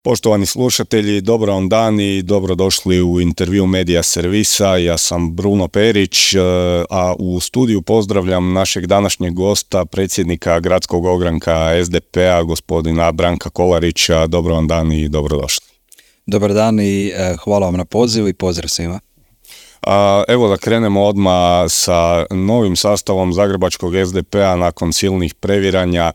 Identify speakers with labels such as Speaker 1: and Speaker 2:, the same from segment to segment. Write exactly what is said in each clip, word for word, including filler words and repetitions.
Speaker 1: Poštovani slušatelji, dobro vam dan i dobrodošli u intervju Medija Servisa. Ja sam Bruno Perić, a u studiju pozdravljam našeg današnjeg gosta, predsjednika gradskog ogranka es de pe a, gospodina Branka Kolarića. Dobro vam dan i dobrodošli.
Speaker 2: Dobar dan i hvala vam na pozivu i pozdrav svima.
Speaker 1: A, evo da krenemo odmah sa novim sastavom zagrebačkog es de pe a nakon silnih previranja,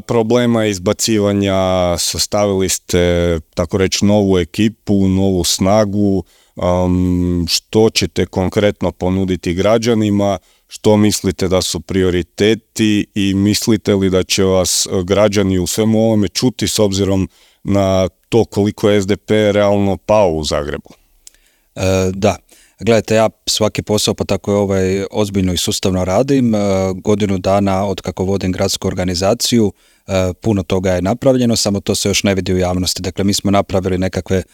Speaker 1: problema izbacivanja. Sastavili ste, tako reći, novu ekipu, novu snagu. Um, što ćete konkretno ponuditi građanima? Što mislite da su prioriteti i mislite li da će vas građani u svemu ovome čuti s obzirom na to koliko je es de pe realno pao u Zagrebu?
Speaker 2: E, da. Gledajte, ja svaki posao, pa tako je ovaj, ozbiljno i sustavno radim. E, godinu dana od kako vodim gradsku organizaciju, e, puno toga je napravljeno, samo to se još ne vidi u javnosti. Dakle, mi smo napravili nekakve, e,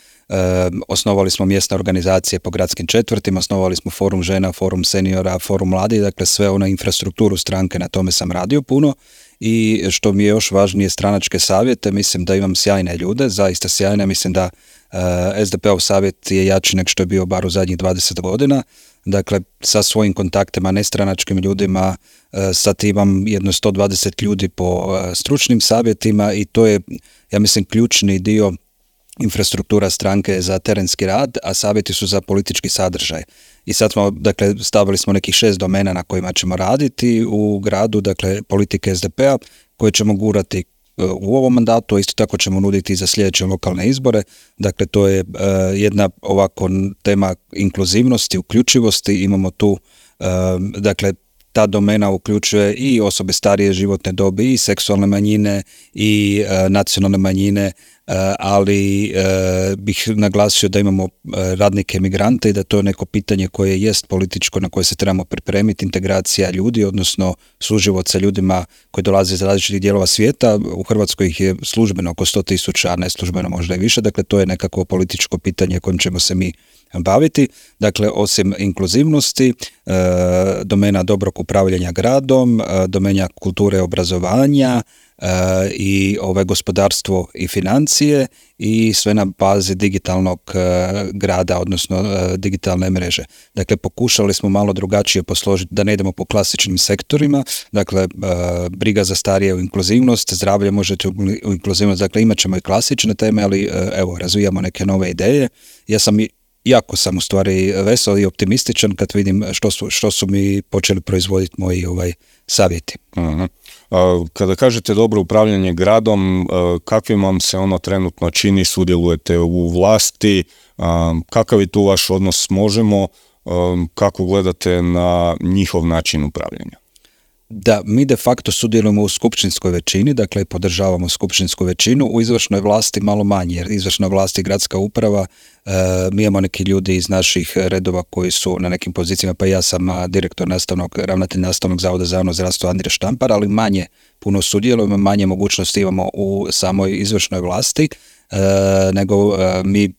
Speaker 2: osnovali smo mjesne organizacije po gradskim četvrtima, osnovali smo forum žena, forum seniora, forum mladih, dakle sve ono infrastrukturu stranke, na tome sam radio puno. I što mi je još važnije, stranačke savjete, mislim da imam sjajne ljude, zaista sjajne, mislim da uh, es de pe ov savjet je jači nek što je bio bar u zadnjih dvadeset godina, dakle sa svojim kontaktima, nestranačkim ljudima, uh, sad imam jedno sto dvadeset ljudi po uh, stručnim savjetima i to je, ja mislim, ključni dio infrastruktura stranke za terenski rad, a savjeti su za politički sadržaj. I sad smo, dakle, stavili smo nekih šest domena na kojima ćemo raditi u gradu, dakle, politike es de pe a, koje ćemo gurati u ovom mandatu, a isto tako ćemo nuditi i za sljedeće lokalne izbore. Dakle, to je uh, jedna ovako tema inkluzivnosti, uključivosti. Imamo tu, uh, dakle, ta domena uključuje i osobe starije životne dobi, i seksualne manjine, i uh, nacionalne manjine, Uh, ali uh, bih naglasio da imamo uh, radnike migrante i da to je neko pitanje koje jest političko, na koje se trebamo pripremiti, integracija ljudi, odnosno suživot sa ljudima koji dolaze iz različitih dijelova svijeta. U Hrvatskoj ih je službeno oko sto tisuća, a neslužbeno možda i više, dakle to je nekako političko pitanje kojim ćemo se mi baviti. Dakle, osim inkluzivnosti, uh, domena dobrog upravljanja gradom, uh, domena kulture i obrazovanja, Uh, i ovaj gospodarstvo i financije i sve na bazi digitalnog uh, grada, odnosno uh, digitalne mreže. Dakle, pokušali smo malo drugačije posložiti, da ne idemo po klasičnim sektorima, dakle, uh, briga za starije u inkluzivnost, zdravlje možete u inkluzivnost, dakle, imat ćemo i klasične teme, ali uh, evo, razvijamo neke nove ideje. Ja sam i Jako sam u stvari vesel i optimističan kad vidim što su, što su mi počeli proizvoditi moji ovaj, savjeti.
Speaker 1: Uh-huh. A, kada kažete dobro upravljanje gradom, kakvim vam se ono trenutno čini, sudjelujete u vlasti, a, kakav je tu vaš odnos s Možemo, a, kako gledate na njihov način upravljanja?
Speaker 2: Da, mi de facto sudjelujemo u skupštinskoj većini, dakle podržavamo skupštinsku većinu, u izvršnoj vlasti malo manje, jer izvršna vlast i gradska uprava, e, mi imamo neki ljudi iz naših redova koji su na nekim pozicijama, pa ja sam direktor nastavnog, ravnatelj nastavnog zavoda za javno zdravstvo Andrija Štampar, ali manje puno sudjelujemo, manje mogućnosti imamo u samoj izvršnoj vlasti, e, nego e, mi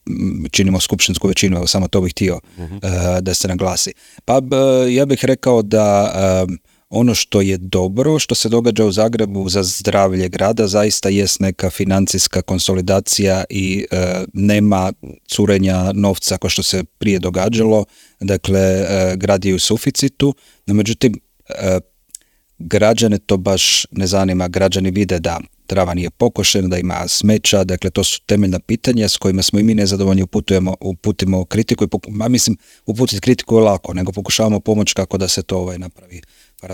Speaker 2: činimo skupštinsku većinu, evo samo to bih htio uh-huh. e, da se naglasi. Pa e, ja bih rekao da e, ono što je dobro, što se događa u Zagrebu za zdravlje grada, zaista jest neka financijska konsolidacija i e, nema curenja novca kao što se prije događalo. Dakle, e, grad je u suficitu, no međutim, e, građane to baš ne zanima. Građani vide da trava nije pokošena, da ima smeća, dakle to su temeljna pitanja s kojima smo i mi nezadovoljni, uputujemo, uputimo kritiku i poku, ma mislim, uputiti kritiku je lako, nego pokušavamo pomoći kako da se to ovaj napravi.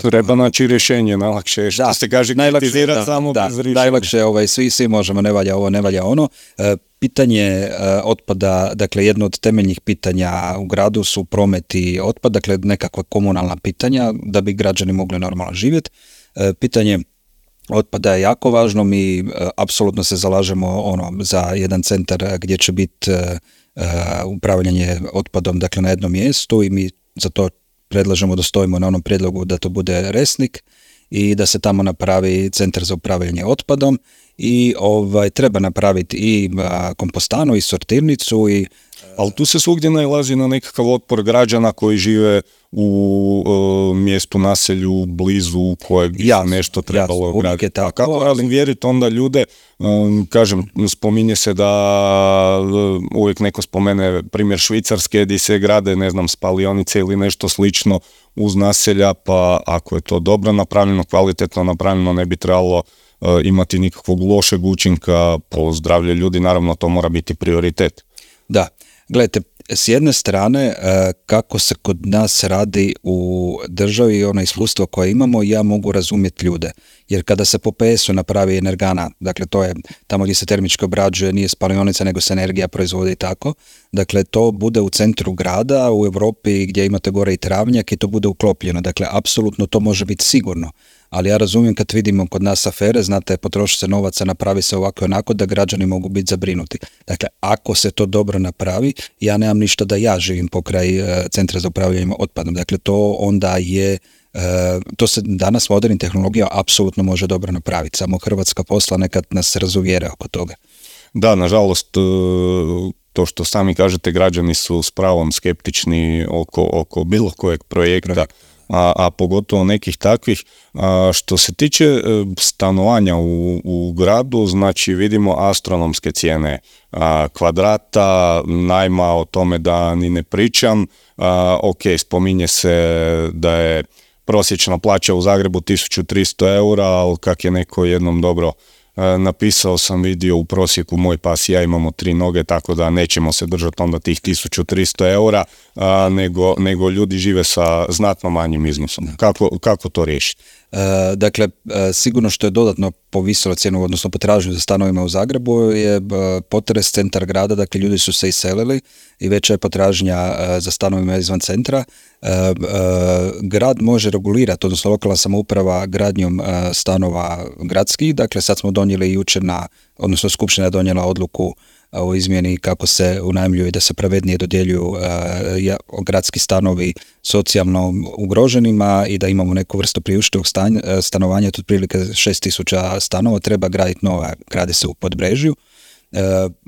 Speaker 1: Treba naći rješenje, najlakše je što da, se kaže kritizirati samo
Speaker 2: da,
Speaker 1: bez rješenja.
Speaker 2: Najlakše, ovaj, svi, svi možemo, ne valja ovo, ne valja ono. E, pitanje e, otpada, dakle jedno od temeljnih pitanja u gradu su promet i otpad, dakle nekakva komunalna pitanja da bi građani mogli normalno živjeti. E, pitanje otpada je jako važno, mi e, apsolutno se zalažemo ono, za jedan centar gdje će biti e, e, upravljanje otpadom, dakle na jednom mjestu i mi za to predlažemo da stojimo na onom prijedlogu da to bude Resnik i da se tamo napravi centar za upravljanje otpadom i ovaj, treba napraviti i a, kompostanu i sortirnicu i
Speaker 1: ali tu se svugdje nailazi na nekakav otpor građana koji žive u uh, mjestu, naselju, blizu kojeg bi
Speaker 2: jasno,
Speaker 1: nešto trebalo
Speaker 2: jasno,
Speaker 1: graditi. A kako razvjeriti onda ljude, um, kažem, spominje se da uh, uvijek neko spomene primjer Švicarske gdje se grade, ne znam, spalionice ili nešto slično uz naselja, pa ako je to dobro napravljeno, kvalitetno napravljeno, ne bi trebalo uh, imati nikakvog lošeg učinka po zdravlje ljudi, naravno to mora biti prioritet.
Speaker 2: Da, gledajte, s jedne strane kako se kod nas radi u državi i ono iskustvo koje imamo, ja mogu razumjeti ljude. Jer kada se po P S-u napravi energana, dakle to je tamo gdje se termički obrađuje, nije spalionica nego se energija proizvodi tako, dakle to bude u centru grada, u Europi gdje imate gore i travnjak i to bude uklopljeno, dakle apsolutno to može biti sigurno. Ali ja razumijem kad vidimo kod nas afere, znate, potroši se novaca, napravi se ovako i onako da građani mogu biti zabrinuti. Dakle, ako se to dobro napravi, ja nemam ništa da ja živim pokraj e, centra za upravljanje otpadom. Dakle, to onda je, e, to se danas modernim tehnologijama apsolutno može dobro napraviti. Samo Hrvatska posla nekad nas razuvjere oko toga.
Speaker 1: Da, nažalost, to što sami kažete, građani su s pravom skeptični oko, oko bilo kojeg projekta. Projekt. A, a pogotovo nekih takvih. A, što se tiče e, stanovanja u, u gradu, znači vidimo astronomske cijene a, kvadrata, najma, o tome da ni ne pričam. A, ok, spominje se da je prosječna plaća u Zagrebu tisuću tristo eura, ali kak je neko jednom dobro napisao sam vidio u prosjeku moj pas i ja imamo tri noge, tako da nećemo se držati onda tih tisuću tristo eura, a, nego, nego ljudi žive sa znatno manjim iznosom. Kako, kako to riješiti?
Speaker 2: E, dakle, e, sigurno što je dodatno povisilo cijenu, odnosno potražnju za stanovima u Zagrebu je e, potres centar grada, dakle ljudi su se iselili i veća je potražnja e, za stanovima izvan centra. E, e, grad može regulirati, odnosno lokalna samouprava gradnjom e, stanova gradskih, dakle sad smo donijeli jučer na, odnosno skupština je donijela odluku o izmjeni kako se unajmljuju i da se pravednije dodjeljuju uh, gradski stanovi socijalno ugroženima i da imamo neku vrstu priuštivog stanovanja, to otprilike šest tisuća stanova, treba graditi nova, gradi se u Podbrežju. Uh,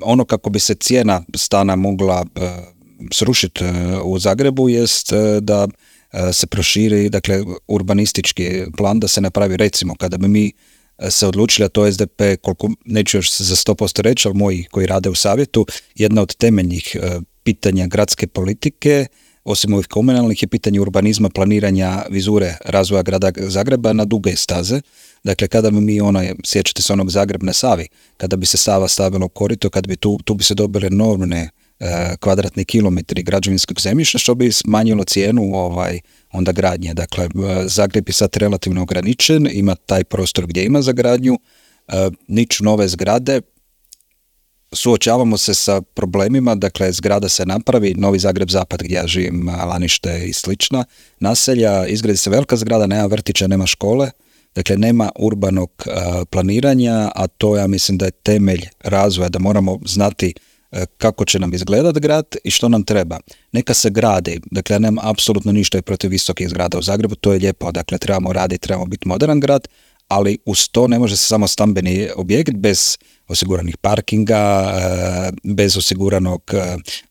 Speaker 2: ono kako bi se cijena stana mogla uh, srušiti uh, u Zagrebu jest uh, da uh, se proširi, dakle, urbanistički plan, da se napravi, recimo, kada bi mi se odlučili, a to S D P, koliko, neću još za sto posto reći, ali moji koji rade u savjetu, jedna od temeljnih e, pitanja gradske politike, osim ovih komunalnih, je pitanje urbanizma, planiranja vizure razvoja grada Zagreba na duge staze. Dakle, kada bi mi onaj, sjećate se onog Zagreb na Savi, kada bi se Sava stavila u korito, kada bi tu, tu bi se dobile enormne e, kvadratni kilometri građevinskog zemljišta, što bi smanjilo cijenu ovaj, onda gradnje. Dakle, Zagreb je sad relativno ograničen, ima taj prostor gdje ima za gradnju, e, niču nove zgrade, suočavamo se sa problemima, dakle zgrada se napravi, Novi Zagreb Zapad gdje ja živim, Lanište i slična naselja, izgradi se velika zgrada, nema vrtića, nema škole, dakle nema urbanog uh, planiranja, a to ja mislim da je temelj razvoja, da moramo znati uh, kako će nam izgledati grad i što nam treba. Neka se gradi, dakle ja nemam apsolutno ništa protiv visokih zgrada u Zagrebu, to je lijepo, dakle trebamo raditi, trebamo biti modern grad, ali uz to ne može se samo stambeni objekt bez osiguranih parkinga, bez osiguranog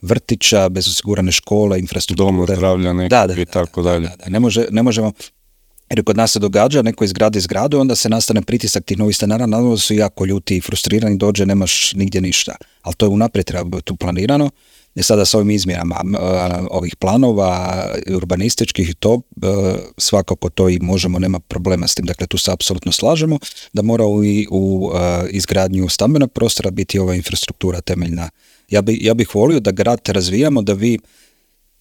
Speaker 2: vrtića, bez osigurane škole, infrastrukture.
Speaker 1: Doma zdravlja nekog
Speaker 2: da, da,
Speaker 1: i tako dalje.
Speaker 2: Da, da, ne, može, ne možemo, jer kod nas se događa, neko izgradi zgradu, onda se nastane pritisak tih novih stanara, naravno su jako ljuti i frustrirani, dođe, nemaš nigdje ništa. Ali to je unaprijed treba biti tu planirano. I sada s ovim izmjenama ovih planova urbanističkih i to, svakako to i možemo, nema problema s tim. Dakle, tu se apsolutno slažemo da mora u, u izgradnju stambenog prostora biti ova infrastruktura temeljna. Ja, bi, ja bih volio da grad razvijamo, da vi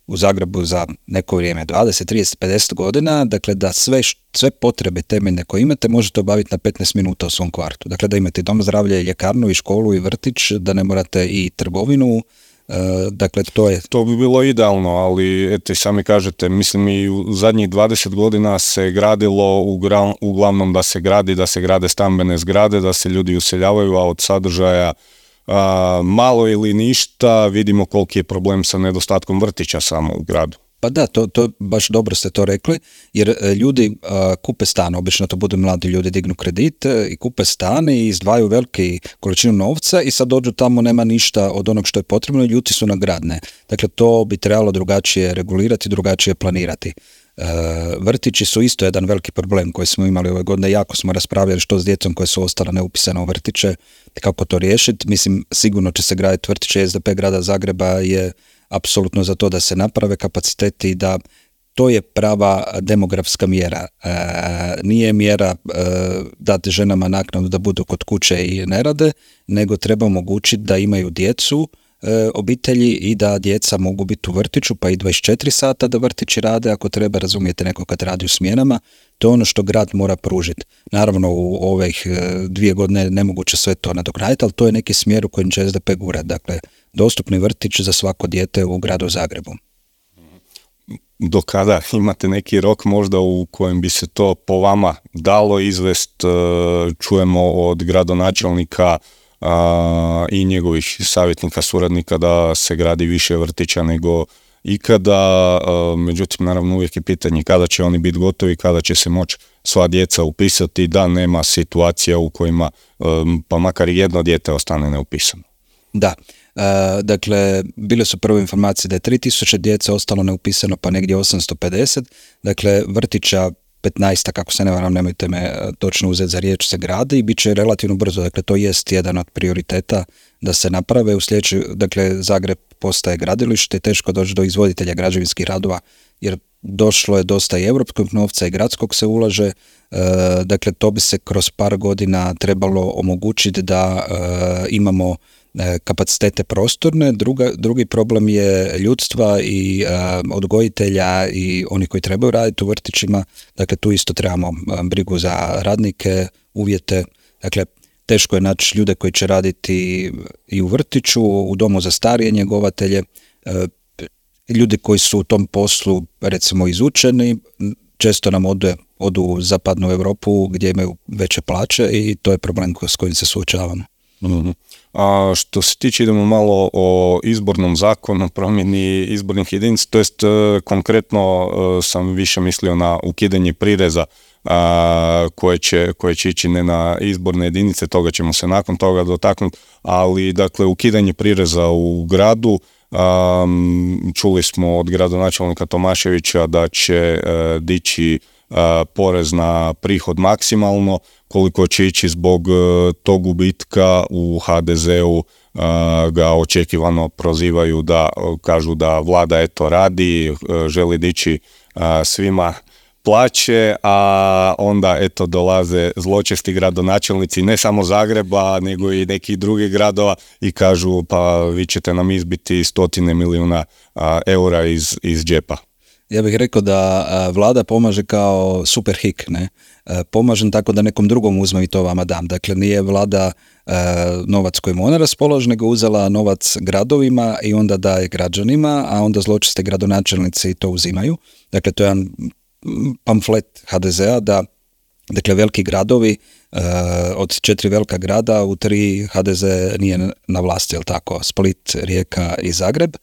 Speaker 2: u Zagrebu za neko vrijeme, dvadeset, trideset, pedeset godina, dakle da sve, sve potrebe temeljne koje imate možete obaviti na petnaest minuta u svom kvartu. Dakle, da imate dom zdravlja i ljekarnu i školu i vrtić, da ne morate i trgovinu. Uh, dakle, to je...
Speaker 1: To bi bilo idealno, ali eto i sami kažete, mislim i u zadnjih dvadeset godina se gradilo ugra, uglavnom da se gradi, da se grade stambene zgrade, da se ljudi useljavaju, a od sadržaja a, malo ili ništa. Vidimo koliki je problem sa nedostatkom vrtića samo u gradu.
Speaker 2: Pa da, to, to baš dobro ste to rekli, jer ljudi a, kupe stan, obično to budu mladi ljudi, dignu kredit i kupe stan i izdvaju veliki količinu novca i sad dođu tamo, nema ništa od onog što je potrebno i ljuti su na grad, ne. Dakle, to bi trebalo drugačije regulirati, drugačije planirati. E, vrtići su isto jedan veliki problem koji smo imali ove godine, jako smo raspravljali što s djecom koje su ostala neupisane u vrtiće, kako to riješiti. Mislim, sigurno će se graditi vrtiće, S D P grada Zagreba je apsolutno za to da se naprave kapaciteti i da to je prava demografska mjera. E, nije mjera e, dati ženama naknadu da budu kod kuće i ne rade, nego treba omogućiti da imaju djecu, e, obitelji i da djeca mogu biti u vrtiću, pa i dvadeset četiri sata da vrtići rade, ako treba, razumijete, neko kad radi u smjenama. To je ono što grad mora pružiti. Naravno, u ovih dvije godine nemoguće sve to nadoknaditi, ali to je neki smjer u kojem će S D P gurati. Dakle, dostupni vrtić za svako dijete u gradu Zagrebu.
Speaker 1: Do kada imate neki rok možda u kojem bi se to po vama dalo izvest? Čujemo od gradonačelnika i njegovih savjetnika, suradnika da se gradi više vrtića nego ikada, međutim naravno uvijek je pitanje kada će oni biti gotovi, kada će se moći sva djeca upisati, da nema situacija u kojima pa makar i jedno dijete ostane neupisano.
Speaker 2: Da, e, dakle, bile su prve informacije da je tri tisuće djece ostalo neupisano, pa negdje osamsto pedeset, dakle, vrtića petnaest, kako se ne varam, nemojte me točno uzeti za riječ, se gradi i bit će relativno brzo, dakle, to jest jedan od prioriteta da se naprave u sljedeći, dakle, Zagreb postaje gradilište i teško doći do izvoditelja građevinskih radova, jer došlo je dosta i europskog novca i gradskog se ulaže, e, dakle, to bi se kroz par godina trebalo omogućiti da e, imamo kapacitete prostorne. Druga, drugi problem je ljudstva i a, odgojitelja i oni koji trebaju raditi u vrtićima. Dakle, tu isto trebamo a, brigu za radnike, uvjete. Dakle, teško je naći ljude koji će raditi i u vrtiću, u domu za starije njegovatelje. A, ljudi koji su u tom poslu, recimo, izučeni, često nam ode, odu u zapadnu Europu gdje imaju veće plaće i to je problem s kojim se suočavamo.
Speaker 1: Mm-hmm. A što se tiče, idemo malo o izbornom zakonu, promjeni izbornih jedinica, to jest konkretno sam više mislio na ukidanje prireza a, koje, će, koje će ići ne na izborne jedinice, toga ćemo se nakon toga dotaknuti, ali dakle ukidanje prireza u gradu. Um, čuli smo od gradonačelnika Tomaševića da će uh, dići uh, porez na prihod maksimalno, koliko će ići zbog uh, tog gubitka u ha de zeu uh, ga očekivano prozivaju da uh, kažu da vlada eto radi, uh, želi dići uh, svima plaće, a onda eto dolaze zločesti gradonačelnici ne samo Zagreba nego i nekih drugih gradova i kažu pa vi ćete nam izbiti stotine milijuna a, eura iz, iz džepa.
Speaker 2: Ja bih rekao da a, vlada pomaže kao super hik, ne? A, pomažem tako da nekom drugom uzmem i to vama dam. Dakle, nije vlada a, novac kojim ona raspolaže, nego uzela novac gradovima i onda daje građanima, a onda zločesti gradonačelnici to uzimaju. Dakle, to je jedan pamflet ha de zea da, dakle, veliki gradovi, uh, od četiri velika grada, u tri ha de ze nije na vlasti, jel tako, Split, Rijeka i Zagreb,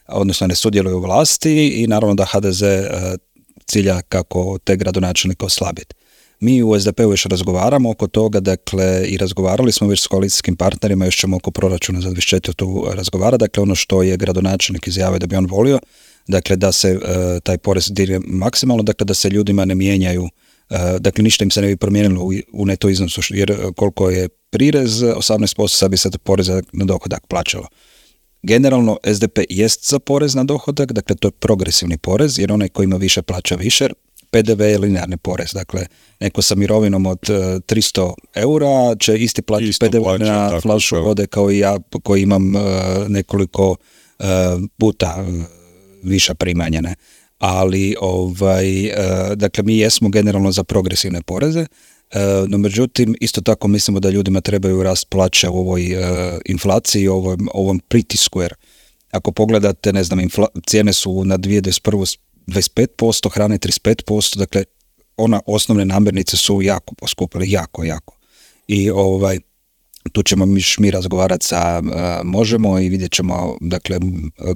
Speaker 2: odnosno ne sudjeluju u vlasti i naravno da ha de ze uh, cilja kako te gradonačelnike oslabiti. Mi u es de pe-u još razgovaramo oko toga, dakle, i razgovarali smo već s koalicijskim partnerima, još ćemo oko proračuna za dvadeset četiri tu razgovara, dakle, ono što je gradonačelnik izjavio da bi on volio, dakle, da se uh, taj porez digne maksimalno, dakle, da se ljudima ne mijenjaju, uh, dakle, ništa im se ne bi promijenilo u, u neto iznosu, jer koliko je prirez, osamnaest posto sad bi se porez na dohodak plaćalo. Generalno, es de pe jest za porez na dohodak, dakle, to je progresivni porez, jer onaj koji ima više plaća više. pe de ve je linearni porez, dakle, neko sa mirovinom od uh, tristo eura će isti plaćati pe de ve plaća, na tako, flašu tako. Vode kao i ja, koji imam uh, nekoliko uh, puta uh, viša primanja, ne? Ali ovaj, uh, dakle, mi jesmo generalno za progresivne poreze, uh, no međutim, isto tako mislimo da ljudima trebaju rast plaća u ovoj uh, inflaciji, ovom, ovom pritisku, jer ako pogledate, ne znam, infla, cijene su na dvije tisuće dvadeset prve dvadeset pet posto, hrane trideset pet posto, dakle, ona osnovne namirnice su jako poskupile, jako, jako. I ovaj, tu ćemo mi, mi razgovarati sa uh, Možemo i vidjet ćemo dakle,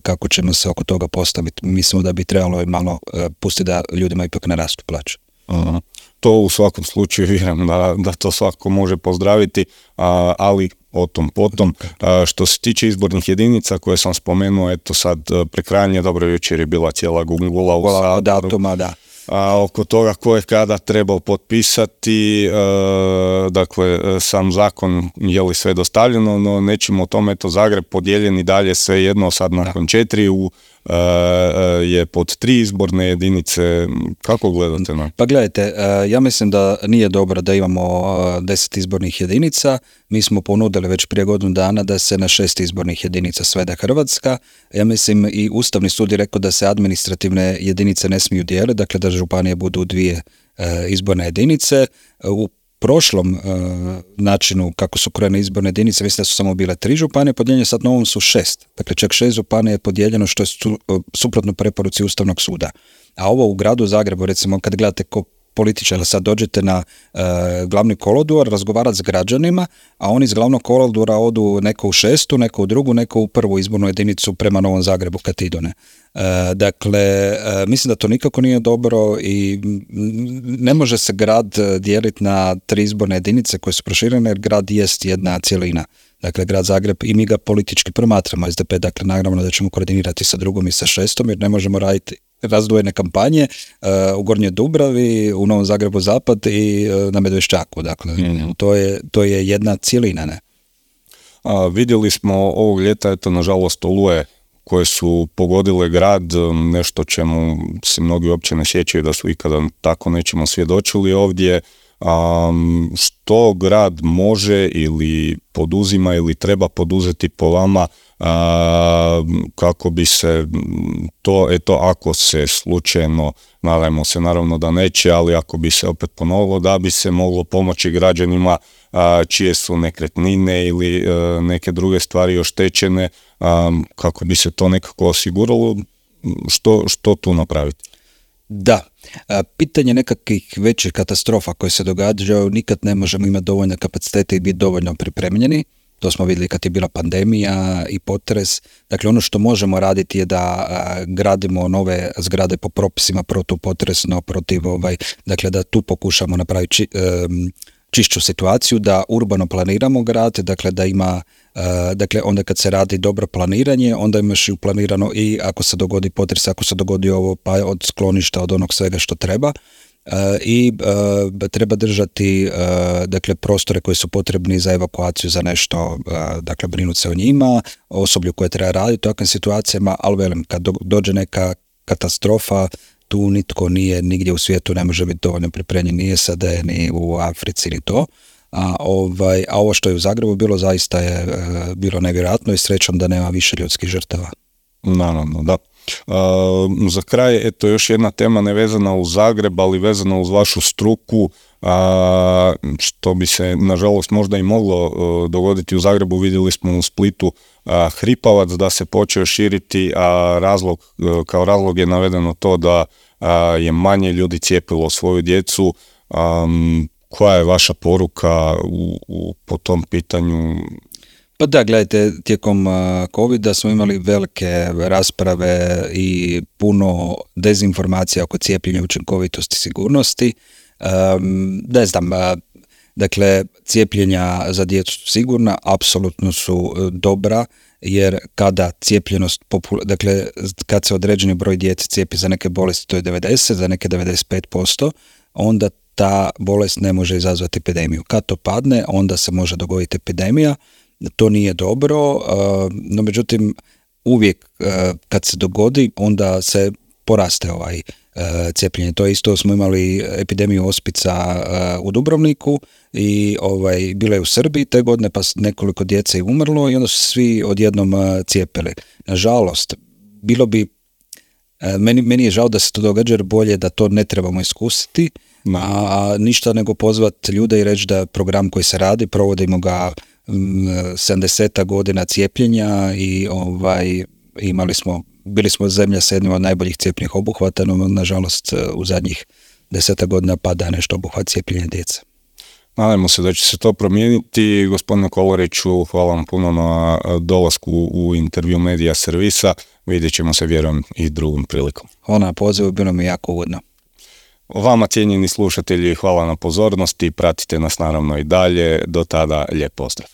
Speaker 2: kako ćemo se oko toga postaviti. Mislimo da bi trebalo malo uh, pustiti da ljudima ipak narastu plaće.
Speaker 1: Uh-huh. To u svakom slučaju vjerujem da, da to svako može pozdraviti, a, ali o tom potom. A, što se tiče izbornih jedinica koje sam spomenuo, eto sad prekrajanje, dobro, jučer je bila cijela gungula u Saboru.
Speaker 2: Datuma, da.
Speaker 1: A oko toga ko je kada trebao potpisati, e, dakle sam zakon je li sve dostavljeno, no nećemo o tome, eto Zagreb podijeljen i dalje sve jedno, sad nakon četiri u, e, je pod tri izborne jedinice. Kako gledate na?
Speaker 2: Pa gledajte, ja mislim da nije dobro da imamo deset izbornih jedinica. Mi smo ponudili već prije godinu dana da se na šest izbornih jedinica svede Hrvatska. Ja mislim i Ustavni sud je rekao da se administrativne jedinice ne smiju dijeliti, dakle da županije budu dvije e, izborne jedinice. U prošlom e, načinu kako su krojene izborne jedinice, mislim da su samo bile tri županije podijeljene, sad novom su šest. Dakle, čak šest županija je podijeljeno što je su, suprotno preporuci Ustavnog suda. A ovo u gradu Zagrebu, recimo, kad gledate ko političara, sad dođete na e, glavni kolodvor razgovarati s građanima, a oni iz glavnog kolodvora odu neko u šestu, neko u drugu, neko u prvu izbornu jedinicu prema Novom Zagrebu kad idu, ne. E, dakle, e, mislim da to nikako nije dobro i ne može se grad dijeliti na tri izborne jedinice koje su proširene, jer grad jest jedna cjelina. Dakle, grad Zagreb, i mi ga politički promatramo, S D P, dakle, naravno da ćemo koordinirati sa drugom i sa šestom, jer ne možemo raditi razdvojene kampanje uh, u Gornjoj Dubravi, u Novom Zagrebu Zapad i uh, na Medveščaku. Dakle, mm-hmm. to, je, to je jedna cjelina, ne?
Speaker 1: A, vidjeli smo ovog ljeta, eto, nažalost, oluje koje su pogodile grad, nešto čemu se mnogi uopće ne sjećaju da su ikada tako nečemu svjedočili ovdje. Um, što grad može ili poduzima ili treba poduzeti po vama uh, kako bi se to, eto, ako se slučajno, nadajmo se naravno da neće, ali ako bi se opet ponovilo, da bi se moglo pomoći građanima uh, čije su nekretnine ili uh, neke druge stvari oštećene, um, kako bi se to nekako osiguralo, što, što tu napraviti?
Speaker 2: Da, pitanje nekakvih većih katastrofa koje se događaju, nikad ne možemo imati dovoljne kapacitete i biti dovoljno pripremljeni. To smo vidjeli kad je bila pandemija i potres. Dakle, ono što možemo raditi je da gradimo nove zgrade po propisima protupotresno, protiv ovaj, dakle da tu pokušamo napraviti či, um, čišću situaciju, da urbano planiramo grad, dakle da ima, uh, dakle onda kad se radi dobro planiranje, onda imaš i planirano i ako se dogodi potres, ako se dogodi ovo, pa od skloništa, od onog svega što treba. Uh, i uh, treba držati uh, dakle prostore koji su potrebni za evakuaciju, za nešto, uh, dakle brinuti se o njima, osoblju koje treba raditi u takvim situacijama, ali velim, kad do, dođe neka katastrofa, tu nitko nije, nigdje u svijetu ne može biti dovoljno pripremljen, ni S A D, ni u Africi, ni to. A, ovaj, a ovo što je u Zagrebu bilo, zaista je e, bilo nevjerojatno i srećom da nema više ljudskih žrtava.
Speaker 1: Naravno, da. Uh, za kraj, eto, još jedna tema nevezana uz Zagreb, ali vezana uz vašu struku, uh, što bi se, nažalost, možda i moglo uh, dogoditi u Zagrebu. Vidjeli smo u Splitu uh, hripavac da se počeo širiti, a razlog, uh, kao razlog je navedeno to da uh, je manje ljudi cijepilo svoju djecu. Um, koja je vaša poruka u, u, po tom pitanju?
Speaker 2: Pa da, gledajte, tijekom covida smo imali velike rasprave i puno dezinformacija oko cijepljenja, učinkovitosti, sigurnosti. Um, ne znam, dakle, cijepljenja za djecu su sigurna, apsolutno su dobra, jer kada cijepljenost, popula- dakle, kad se određeni broj djece cijepi za neke bolesti, to je devedeset, za neke devedeset pet posto, onda ta bolest ne može izazvati epidemiju. Kad to padne, onda se može dogoditi epidemija. To nije dobro, no međutim uvijek kad se dogodi, onda se poraste ovaj cijepljenje. To je isto, smo imali epidemiju ospica u Dubrovniku i ovaj, bila je u Srbiji te godine, pa nekoliko djece je umrlo i onda su svi odjednom cijepili. Nažalost, bilo bi, meni, meni je žao da se to događa, jer bolje da to ne trebamo iskusiti, a ništa nego pozvati ljude i reći da program koji se radi, provodimo ga sedamdeset godina cijepljenja i ovaj, imali smo, bili smo zemlja sa jednim od najboljih cijepnih obuhvata, no nažalost u zadnjih deseta godina pada nešto obuhvat cijepljenja djece.
Speaker 1: Nadajmo se da će se to promijeniti. Gospodine Kolariću, hvala vam puno na dolasku u intervju Medija servisa. Vidjet ćemo se, vjerujem, i drugom prilikom.
Speaker 2: Hvala na pozivu, bilo mi jako ugodno.
Speaker 1: Vama, cijenjeni slušatelji, hvala na pozornosti. Pratite nas naravno i dalje. Do tada, lijep pozdrav.